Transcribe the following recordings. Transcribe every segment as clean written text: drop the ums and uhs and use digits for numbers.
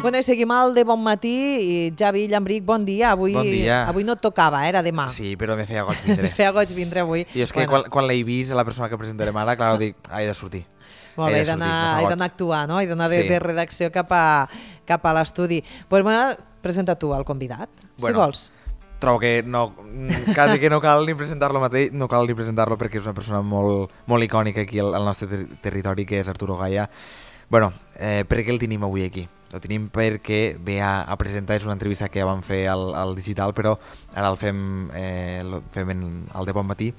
Bueno, i seguim al de bon matí. I Javi Llambric, bon dia. Bon dia. Avui no et tocava, era demà. Sí, però me feia goig vindre. Feia goig vindre avui. I és que quan l'he vist, la persona que presentarem ara, clar, dic, he de sortir. Molt bé, he d'anar a actuar, no? He d'anar de redacció cap a l'estudi. Doncs presenta tu el convidat, si vols. Trobo que quasi que no cal ni presentar-lo mateix, no cal ni presentar-lo perquè és una persona molt icònica aquí al nostre territori, que és Arturo Gaya. Bueno, per què el tenim avui aquí? El tenim perquè ve a presentar, és una entrevista que ja vam fer al digital, però ara el fem al de bon matí.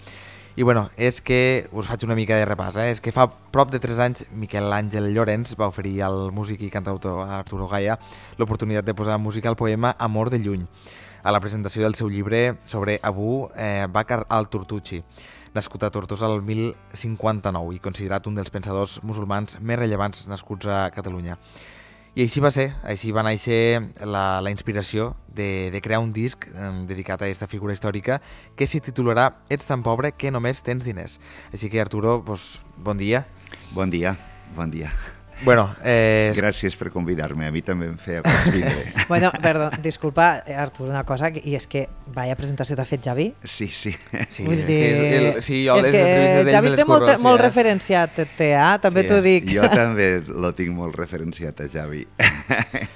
I bueno, és que us faig una mica de repàs, és que fa prop de 3 anys Miquel Àngel Llorens va oferir al músic i cantautor Arturo Gaya l'oportunitat de posar música al poema Amor de lluny, a la presentació del seu llibre sobre Abu Bakr al-Turtuchi, nascut a Tortosa el 1059 i considerat un dels pensadors musulmans més rellevants nascuts a Catalunya. I així va ser, així va néixer la inspiració de crear un disc dedicat a aquesta figura històrica que s'hi titularà Ets tan pobre que només tens diners. Així que, Arturo, bon dia. Bon dia, bon dia. Bueno, gràcies per convidar-me, a mi també em feia convidar. Bueno, perdó, disculpa, Artur, una cosa, i és que vaya presentació t'ha fet Javi? Sí. Vull dir, jo és que Javi té molt referenciat, també t'ho dic. Jo també lo tinc molt referenciat a Javi.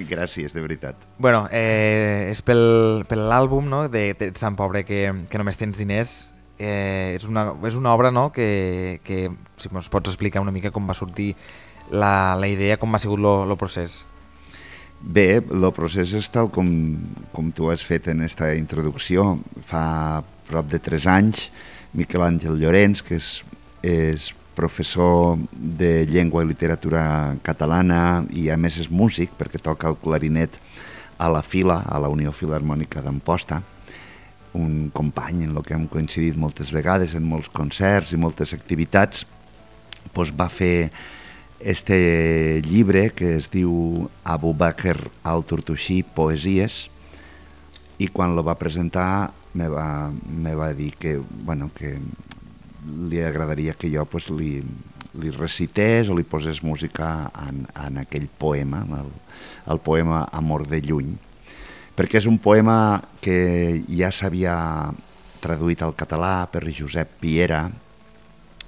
Gràcies, de veritat. Bueno, és per l'àlbum, no?, de Ets tan pobre que només tens diners. És una obra, no?, que si ens pots explicar una mica com va sortir la idea, com ha sigut el procés. Bé, el procés és tal com tu has fet en aquesta introducció. Fa prop de 3 anys, Miquel Àngel Llorens, que és professor de llengua i literatura catalana i a més és músic, perquè toca el clarinet a la Fila, a la Unió Filharmònica d'Amposta, un company en el que hem coincidit moltes vegades en molts concerts i moltes activitats, doncs va fer este llibre que es diu Abu Bakr al-Turtuchi, Poesies, i quan lo va presentar me va dir que li agradaria que jo li recités o li posés música en aquell poema, el poema Amor de lluny, perquè és un poema que ja s'havia traduït al català per Josep Piera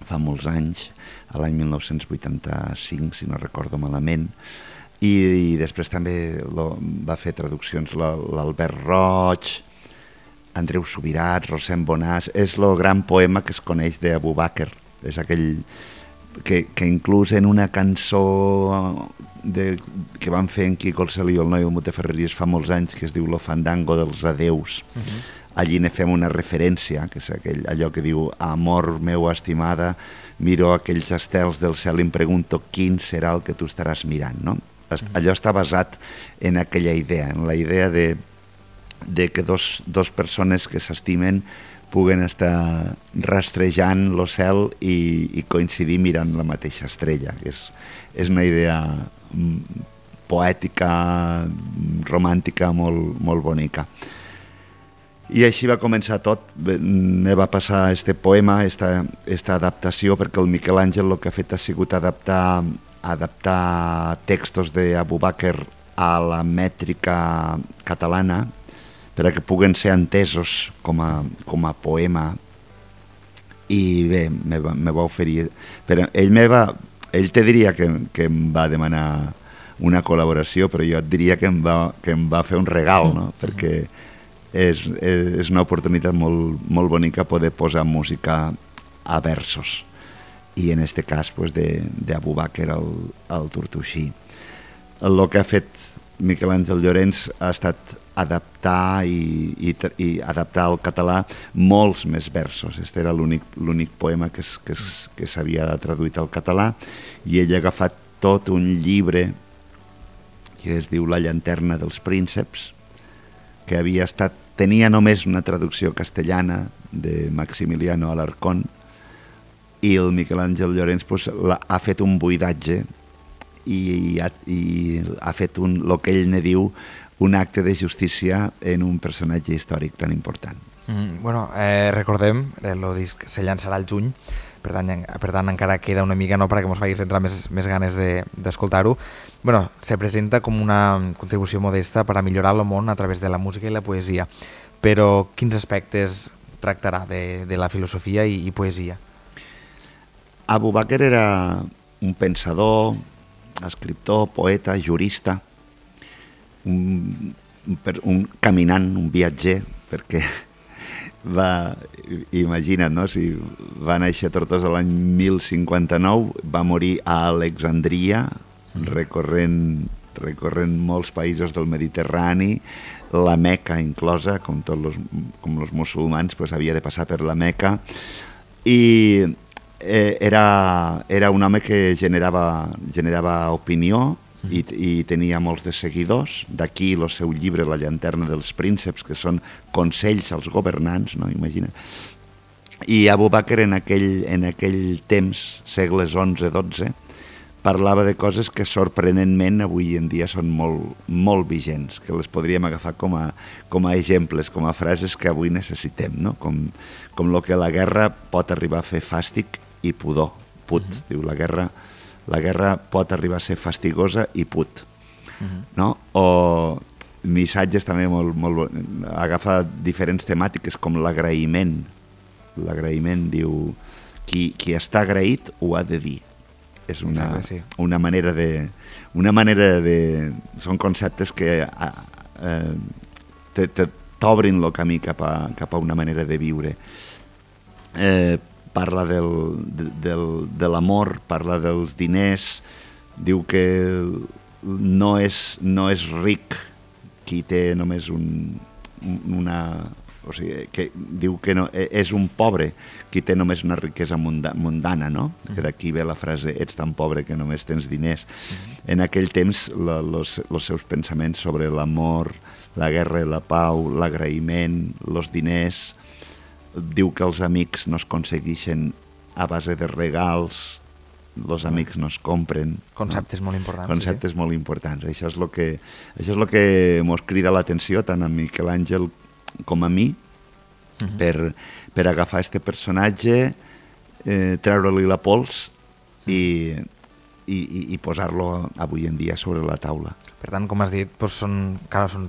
fa molts anys, a l'any 1985, si no recordo malament, i després també va fer traduccions l'Albert Roig, Andreu Subirat, Rosem Bonàs. És el gran poema que es coneix d'Abu Bakr, és aquell que inclús en una cançó que van fer en Quico el Celí i el Noi del Mut de Ferreries fa molts anys, que es diu Lo fandango dels adeus, allí ne fem una referència, que és allò que diu Amor meu estimada, miro aquells estels del cel i em pregunto quin serà el que tu estaràs mirant, no? Allò està basat en aquella idea, en la idea de que dos persones que s'estimen puguen estar rastrejant el cel i coincidir mirant la mateixa estrella. És una idea poètica, romàntica, molt bonica. I així va començar tot. Me va passar este poema, esta adaptació, perquè el Miquel Àngel el que ha fet ha sigut adaptar textos d'Abu Bakr a la mètrica catalana perquè puguen ser entesos com a poema. I bé, me va oferir... Però ell te diria que em va demanar una col·laboració, però jo et diria que em va fer un regal, no? Perquè és una oportunitat molt bonica poder posar música a versos, i en aquest cas d'Abu Bakr al-Turtuchi. El que ha fet Miquel Àngel Llorens ha estat adaptar i adaptar al català molts més versos. Este era l'únic poema que s'havia traduït al català, i ell ha agafat tot un llibre que es diu La llanterna dels prínceps, que tenia només una traducció castellana de Maximiliano Alarcón, i el Miquel Àngel Llorens ha fet un buidatge i ha fet el que ell ne diu un acte de justícia en un personatge històric tan important. Bueno, recordem, el disc se llançarà al juny, per tant encara queda una mica, no, perquè ens facis entrar més ganes d'escoltar-ho. Bueno, se presenta com una contribució modesta per a millorar el món a través de la música i la poesia, però quins aspectes tractarà de la filosofia i poesia? Abu Bakr era un pensador, escriptor, poeta, jurista, un caminant, un viatger, perquè imagina't, no? Si va néixer a Tortosa l'any 1059, va morir a Alexandria, recorrent molts països del Mediterrani, la Meca inclosa, com els musulmans, pues, havia de passar per la Meca, i era un home que generava opinió i tenia molts de seguidors. D'aquí el seu llibre La llanterna dels prínceps, que són consells als governants, no? Imagina. I Abu Bakr en aquell temps, segles XI-XII, parlava de coses que sorprenentment avui en dia són molt vigents, que les podríem agafar com a exemples, com a frases que avui necessitem, no? Com el que la guerra pot arribar a fer fàstic i pudor. Diu, la guerra pot arribar a ser fastigosa i put. No? O missatges també agafa diferents temàtiques com l'agraïment. L'agraïment, diu, qui està agraït ho ha de dir. És una manera de... Són conceptes que t'obrin el camí cap a una manera de viure. Parla de l'amor, parla dels diners, diu que no és ric qui té només o sigui, que diu que no, és un pobre qui té només una riquesa mundana, no? Que d'aquí ve la frase, ets tan pobre que només tens diners. En aquell temps, els seus pensaments sobre l'amor, la guerra i la pau, l'agraïment, els diners, diu que els amics no es aconsegueixen a base de regals, els amics no es compren. Conceptes molt importants. Conceptes molt importants. Això és el que mos crida l'atenció tant a Miquel Àngel com a mi, per agafar este personatge, treure-li la pols i posar-lo avui en dia sobre la taula. Per tant, com has dit, són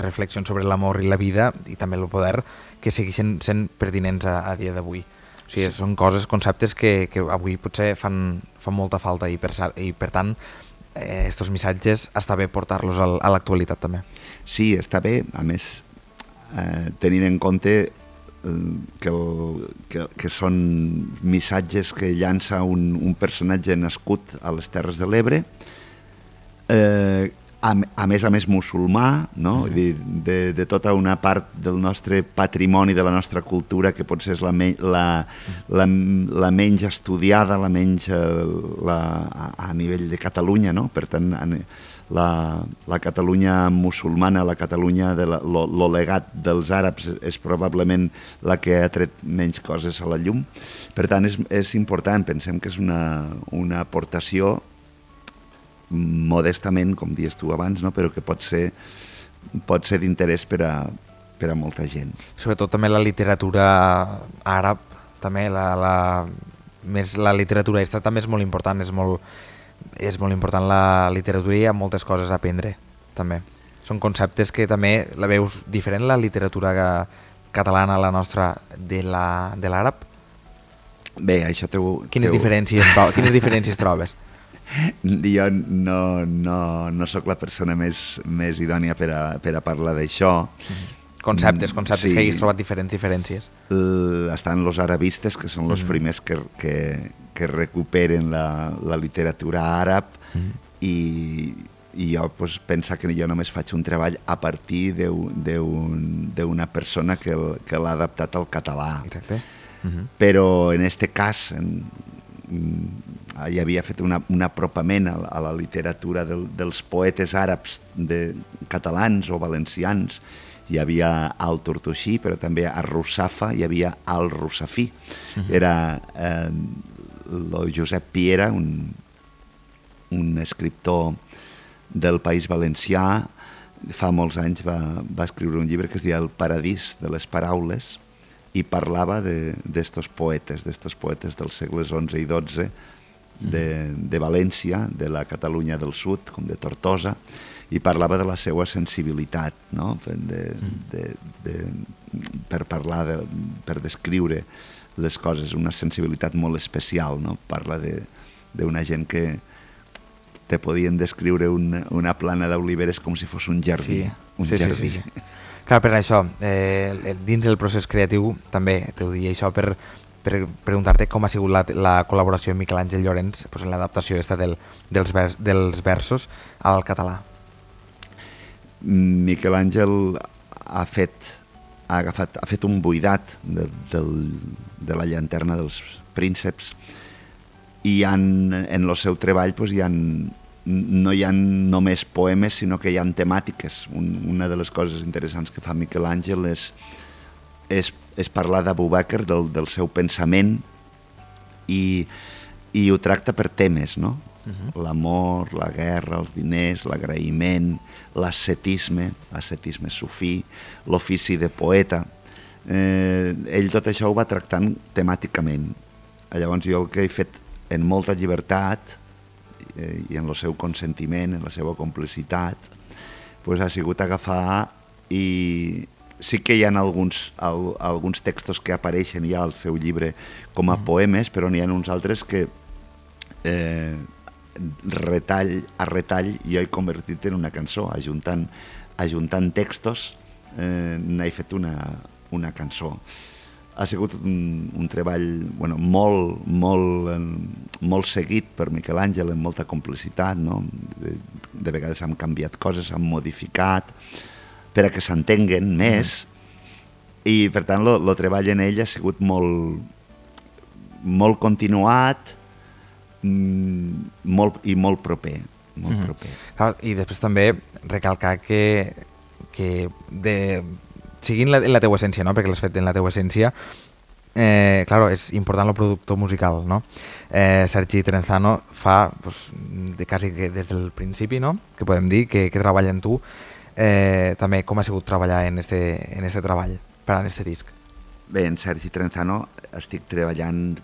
reflexions sobre l'amor i la vida i també el poder que segueixen sent pertinents a dia d'avui. O sigui, són conceptes que avui potser fan molta falta i per tant, estos missatges està bé portar-los a l'actualitat també. Sí, està bé, a més, tenint en compte que són missatges que llança un personatge nascut a les Terres de l'Ebre, a més musulmà, no? De tota una part del nostre patrimoni, de la nostra cultura, que potser és la menys estudiada, la menys a nivell de Catalunya, no? Per tant, la Catalunya musulmana, la Catalunya de lo legat dels àrabs és probablement la que ha tret menys coses a la llum. Per tant, és important, pensem que és una aportació modestament, com dius tu abans, no? Però que pot ser d'interès per a molta gent. Sobretot també la literatura àrab, també més la literatura aquesta també és molt important, és molt important la literatura i hi ha moltes coses a aprendre també. Són conceptes que també la veus diferent, la literatura catalana, la nostra, de l'àrab? Bé, això Quines diferències trobes? Jo no sóc la persona més idònia per a parlar d'això. Conceptes sí. Que hagis trobat diferències. Estan els arabistes, que són els primers que recuperen la literatura àrab, i jo penso que jo només faig un treball a partir d'una persona que l'ha adaptat al català. Exacte. Però en aquest cas hi havia fet un apropament a la literatura dels poetes àrabs catalans o valencians. Hi havia al Tortosí, però també a Russafa hi havia al Russafí. Era el Josep Piera, un escriptor del País Valencià. Fa molts anys va escriure un llibre que es deia El paradís de les paraules, i parlava d'estos poetes dels segles XI i XII, de València, de la Catalunya del Sud, com de Tortosa, i parlava de la seva sensibilitat, no? Per parlar, per descriure les coses, una sensibilitat molt especial, no? Parla d'una gent que te podien descriure una plana d'oliveres com si fos un jardí. Sí. Clar, per això, dins del procés creatiu, també t'ho dic això per preguntar-te com ha sigut la col·laboració amb Miquel Àngel Llorens en l'adaptació dels versos al català. Miquel Àngel ha fet un buidat de la llanterna dels prínceps i en el seu treball no hi ha només poemes, sinó que hi ha temàtiques. Una de les coses interessants que fa Miquel Àngel és parlar d'Abu Bakr, del seu pensament, i ho tracta per temes, no? L'amor, la guerra, els diners, l'agraïment, l'ascetisme sufí, l'ofici de poeta. Ell tot això ho va tractant temàticament. Llavors jo el que he fet en molta llibertat i en el seu consentiment, en la seva complicitat, ha sigut agafar, i sí que hi ha alguns textos que apareixen ja al seu llibre com a poemes, però n'hi ha uns altres que retall a retall jo he convertit en una cançó, ajuntant textos n'he fet una cançó. Ha sigut un treball molt seguit per Miquel Àngel, amb molta complicitat, no? De vegades han canviat coses, han modificat per a que s'entenguen més, i per tant el treball en ell ha sigut molt continuat i molt proper. Clar, i després també recalcar que seguint la teua essència, no? Perquè l'has fet en la teua essència, claro, és important el productor musical, no? Sergi Trenzano fa quasi que des del principi, no? Que podem dir que treballa en tu, també com ha sigut treballar en este treball, per a este disc. Bé, en Sergi Trenzano estic treballant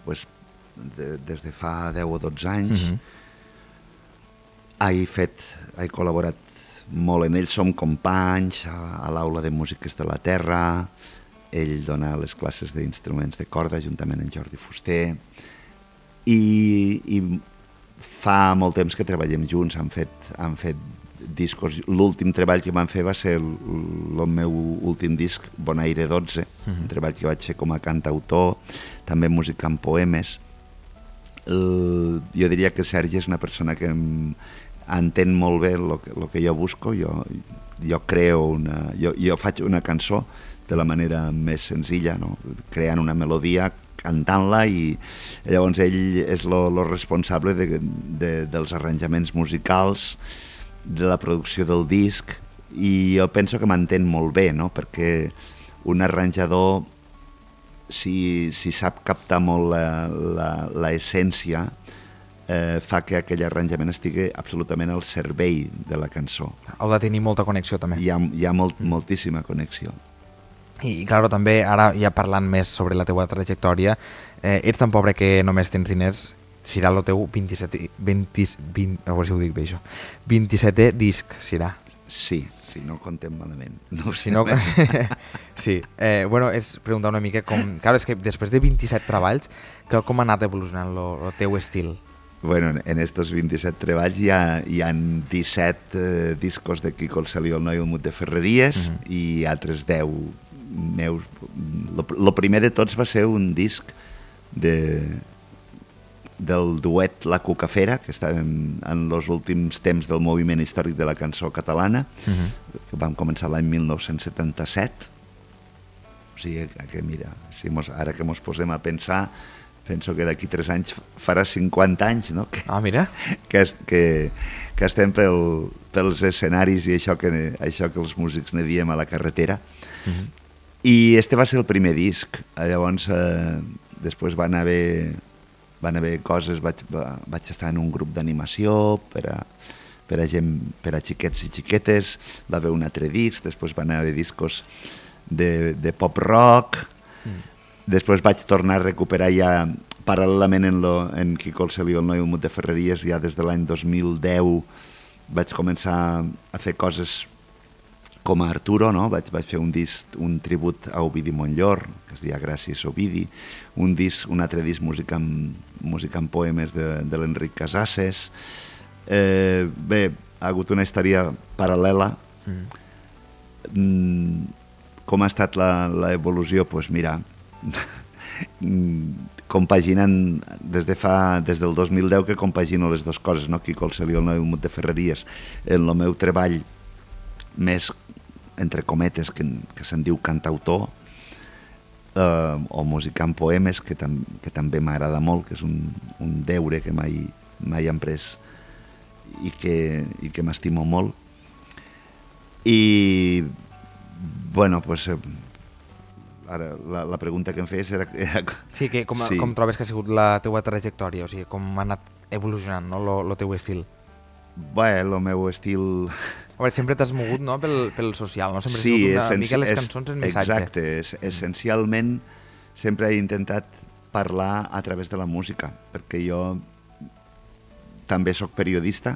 des de fa 10 o 12 anys. He col·laborat molt en ell, som companys a l'Aula de Músiques de la Terra, ell dona les classes d'instruments de corda juntament amb Jordi Fuster, i fa molt temps que treballem junts, han fet discos. L'últim treball que vam fer va ser el meu últim disc, Bonaire 12, un treball que vaig fer com a cantautor, també música amb poemes. Jo diria que Sergi és una persona que entén molt bé el que jo busco. Jo faig una cançó de la manera més senzilla, no? Creant una melodia, cantant-la, i llavors ell és el responsable dels arranjaments musicals, de la producció del disc, i jo penso que m'entén molt bé, no? Perquè un arranjador, si sap captar molt l'essència, fa que aquell arranjament estigui absolutament al servei de la cançó. Heu de tenir molta connexió, també. Hi ha moltíssima connexió. I, clar, també, ara ja parlant més sobre la teua trajectòria, ets tan pobre que només tens diners, serà el teu 27è disc, serà. Sí, si no contem malament. No si no, sí. És preguntar una mica com... Clar, és que després de 27 treballs, com ha anat evolucionant el teu estil? Bueno, en estos 27 treballs hi ha 17 discos de Quico el Celí, el Noi, el Mut de Ferreries, i altres 10 meus. El primer de tots va ser un disc del duet La Cucafera, que està en els últims temps del moviment històric de la cançó catalana, que vam començar l'any 1977. O sigui que, mira, ara que ens posem a pensar, penso que d'aquí 3 anys farà 50 anys, no? Mira. Que estem pels escenaris i això que els músics ne diem a la carretera. I este va ser el primer disc. Llavors, després van haver coses, vaig estar en un grup d'animació per a xiquets i xiquetes, va haver un altre disc, després van haver discos de pop rock, Després vaig tornar a recuperar ja paral·lelament en Quico el Celio, el noi Mut de Ferreries, ja des de l'any 2010 vaig començar a fer coses com a Arturo, no? Vaig fer un disc, un tribut a Ovidi Montllor, que es deia Gràcies Ovidi, un altre disc música amb poemes de l'Enric Casases. Bé, ha hagut una història paral·lela. Com ha estat l'evolució? Doncs mira, compaginant des del 2010 que compagino les dues coses, no? Quico el Celio, el noi Mut de Ferreries, en el meu treball més, entre cometes, que se'n diu cantautor, o musicant poemes, que també m'agrada molt, que és un deure que mai hem pres i que m'estimo molt. I, bueno, doncs, ara la pregunta que em fes era... Sí, com trobes que ha sigut la teua trajectòria, o sigui, com ha anat evolucionant, no, el teu estil? Bé, el meu estil... A veure, sempre t'has mogut, no?, pel social, no? Sempre has sigut una mica les cançons en missatge. Exacte, essencialment sempre he intentat parlar a través de la música, perquè jo també sóc periodista,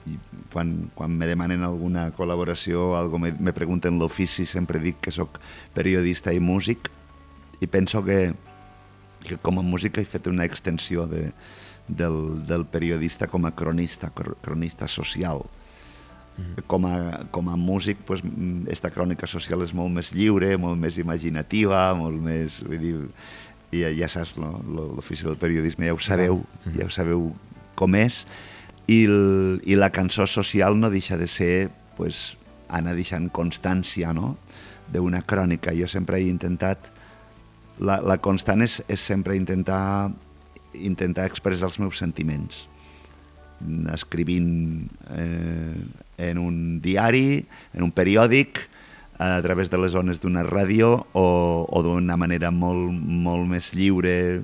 i quan me demanen alguna col·laboració o algo, me pregunten l'ofici, sempre dic que sóc periodista i músic, i penso que com a músic he fet una extensió del periodista com a cronista social. Com a músic, pues, esta crònica social és molt més lliure, molt més imaginativa, molt més... Vull dir, ja saps, l'ofici del periodisme, ja ho sabeu com és, i la cançó social no deixa de ser, pues, anar deixant constància, no?, d'una crònica. Jo sempre he intentat... La constant és sempre intentar expressar els meus sentiments, escrivint en un diari, en un periòdic, a través de les ones d'una ràdio o d'una manera molt més lliure,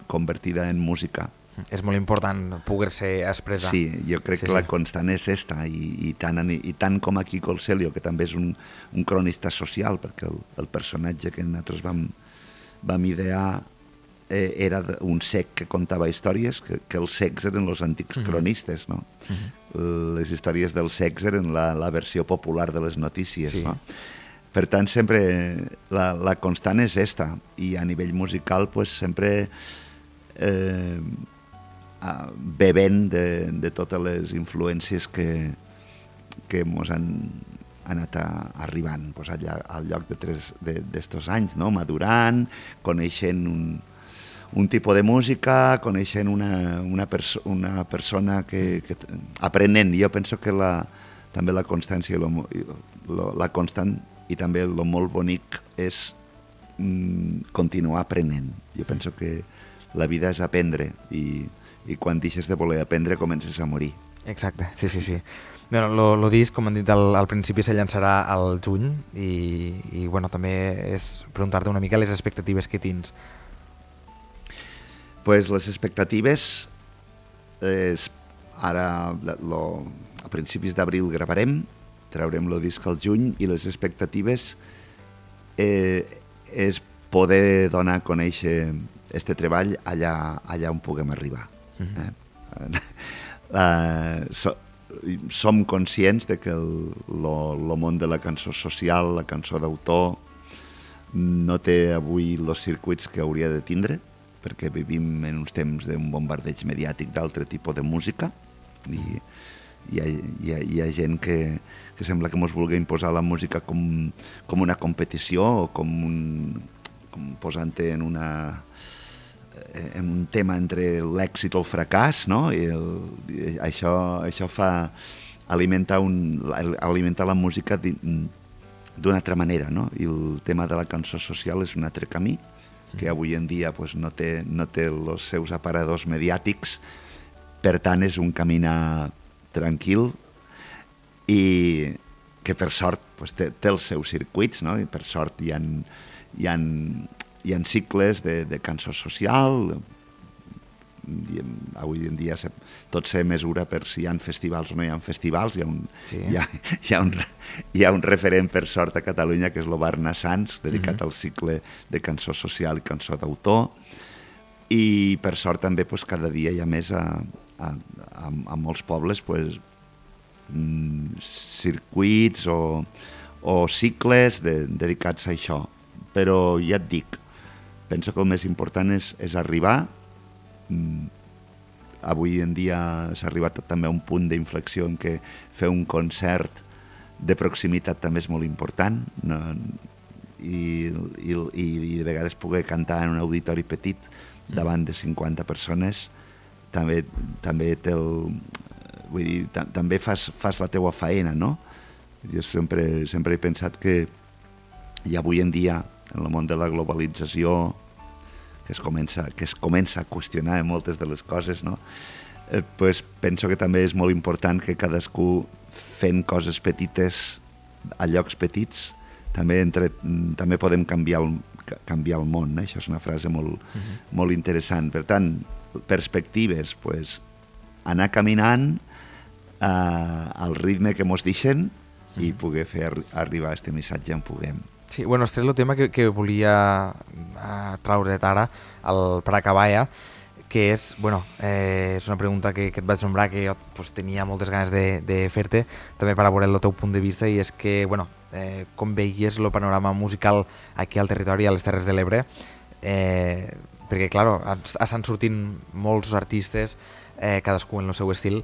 convertida en música. És molt important poder-se expressar. Sí, jo crec que la constant és esta, i tant com a Quico el Celio, que també és un cronista social, perquè el personatge que nosaltres vam idear era un cec que contava històries, que els cecs eren els antics cronistes, no? Les històries dels cecs eren la versió popular de les notícies, no? Per tant, sempre la constant és esta, i a nivell musical, pues, sempre bevent de totes les influències que mos han anat arribant, pues, al lloc d'estos anys, no? Madurant, coneixent un tipus de música, coneixent una persona que aprenent. Jo penso que també la constància, la constant i també el molt bonic és continuar aprenent. Jo penso que la vida és aprendre, i quan deixes de voler aprendre comences a morir. Exacte, sí. Bueno, el disc, com han dit al principi, se llançarà al juny, i bueno, també és preguntar-te una mica les expectatives que tens. Pues les expectatives ara a principis d'abril gravarem, traurem el disc al juny, i les expectatives és poder donar a conèixer este treball allà on puguem arribar. Som conscients de que el món de la cançó social, la cançó d'autor, no té avui els circuits que hauria de tindre, perquè vivim en uns temps d'un bombardeig mediàtic d'altre tipus de música, i hi ha gent que sembla que ens vulgui imposar la música com una competició, o com posant-te en un tema entre l'èxit o el fracàs, no? I això fa alimentar la música d'una altra manera, no? I el tema de la cançó social és un altre camí, que avui en dia pues, no té els seus aparadors mediàtics, per tant és un caminar tranquil, i que per sort pues, té els seus circuits, no? I per sort hi ha cicles de cançó social, avui en dia tot se mesura per si hi ha festivals o no hi ha festivals. Hi ha un referent, per sort, a Catalunya, que és l'Obarna Sants, dedicat al cicle de cançó social i cançó d'autor, i per sort també cada dia hi ha més a molts pobles circuits o cicles dedicats a això. Però ja et dic, penso que el més important és arribar. Avui en dia s'ha arribat també a un punt d'inflexió en què fer un concert de proximitat també és molt important, i de vegades poder cantar en un auditori petit davant de 50 persones també té vull dir, també fas la teua faena, no? Jo sempre he pensat que i avui en dia, en el món de la globalització, que es comença a qüestionar moltes de les coses, no? Penso que també és molt important que cadascú, fent coses petites a llocs petits, també podem canviar el món. Això és una frase molt interessant. Per tant, perspectives, anar caminant al ritme que mos deixen i poder fer arribar aquest missatge on puguem. Sí, bueno, este és el tema que volia traure ara per acabar ja, que és una pregunta que et vaig nombrar, que jo tenia moltes ganes de fer-te, també per a veure el teu punt de vista, i és que, com veies el panorama musical aquí al territori, a les Terres de l'Ebre, perquè, clar, estan sortint molts artistes, cadascú en el seu estil,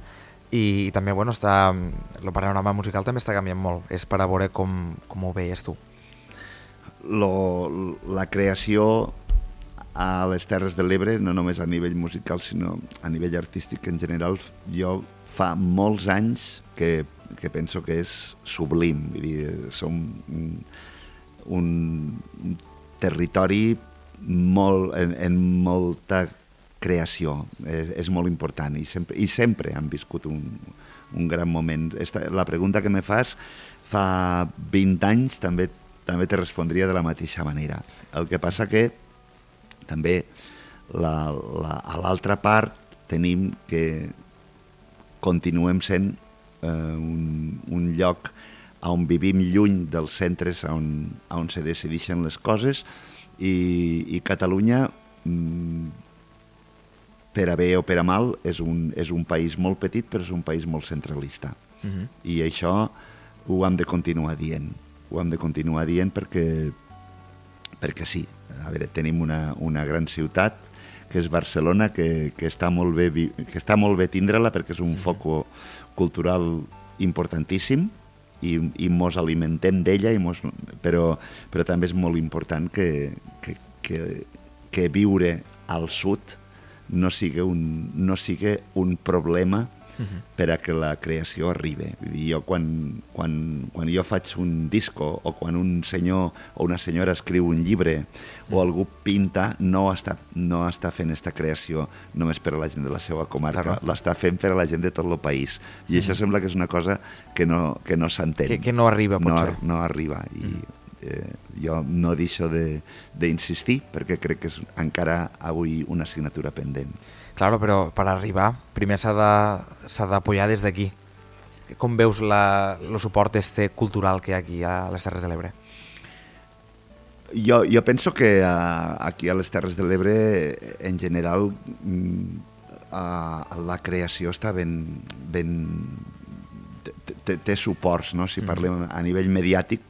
i també, el panorama musical també està canviant molt. És per a veure com ho veies tu. La creació a les Terres de l'Ebre, no només a nivell musical, sinó a nivell artístic en general, jo fa molts anys que penso que és sublim. Vull dir, som un territori en molta creació, és molt important, i sempre han viscut un gran moment. La pregunta que me fas fa 20 anys també te respondria de la mateixa manera. El que passa que també a l'altra part tenim que continuem sent un lloc on vivim lluny dels centres on se decideixen les coses, i Catalunya, per a bé o per a mal, és un país molt petit, però és un país molt centralista. I això ho hem de continuar dient. Ho hem de continuar dient perquè sí. A veure, tenim una gran ciutat, que és Barcelona, que està molt bé tindre-la, perquè és un foc cultural importantíssim, i mos alimentem d'ella, però també és molt important que viure al sud no sigui un problema per a que la creació arribi. Jo quan jo faig un disco, o quan un senyor o una senyora escriu un llibre, o algú pinta, no està fent aquesta creació només per a la gent de la seva comarca, l'està fent per a la gent de tot el país. I això sembla que és una cosa que no s'entén. Que no arriba, potser. No arriba. I jo no deixo d'insistir, perquè crec que és encara avui una assignatura pendent. Claro, però per arribar, primer s'ha d'apoyar des d'aquí. Com veus el suport cultural que hi ha aquí a les Terres de l'Ebre? Jo penso que aquí a les Terres de l'Ebre, en general, la creació està ben té suports, no? Si parlem a nivell mediàtic,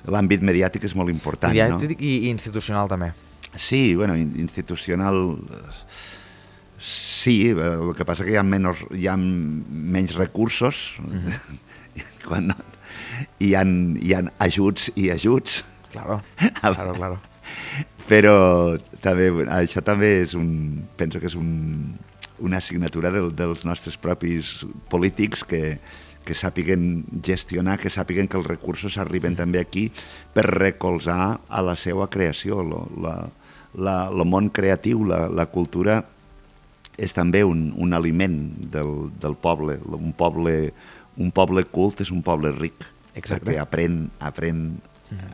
l'àmbit mediàtic és molt important. Mediàtic i institucional també. Sí, institucional sí, el que passa que hi ha menys recursos, hi ha ajuts i ajuts. Claro. Però això també penso que és una assignatura dels nostres propis polítics que sàpiguen gestionar, que sàpiguen que els recursos arriben també aquí per recolzar a la seva creació. El món creatiu, la cultura, és també un aliment del poble. Un poble cult és un poble ric. Exacte. Perquè aprèn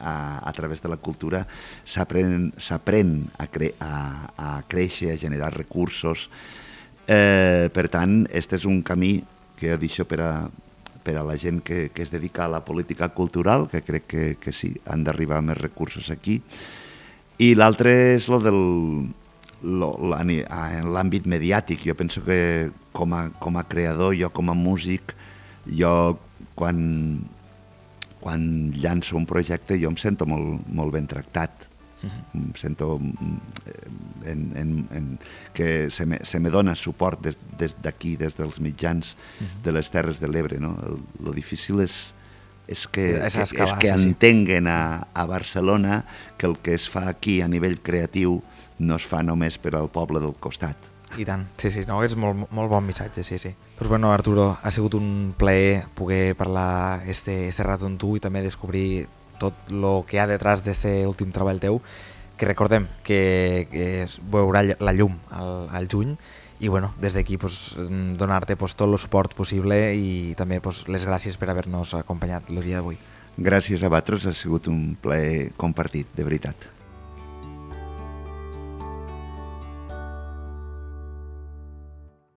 a través de la cultura s'aprèn a créixer, a generar recursos. Per tant, este és un camí que jo deixo per a la gent que es dedica a la política cultural, que crec que sí, han d'arribar més recursos aquí. I l'altre és en l'àmbit mediàtic. Jo penso que com a creador, jo com a músic, jo quan llanço un projecte jo em sento molt ben tractat. Em sento que se me dona suport des d'aquí, des dels mitjans de les Terres de l'Ebre. No? Lo difícil és que entenguen a Barcelona que el que es fa aquí a nivell creatiu no es fa només per al poble del costat. I tant, sí, no, és molt bon missatge, sí. Pues bueno, Arturo, ha sigut un plaer poder parlar este rato amb tu i també descobrir tot el que hi ha detrás d'este últim treball teu, que recordem que es veurà la llum al juny, i bueno, des d'aquí pues, donar-te pues, tot el suport possible i també pues, les gràcies per haver-nos acompanyat el dia d'avui. Gràcies a vosaltres, ha sigut un plaer compartit, de veritat.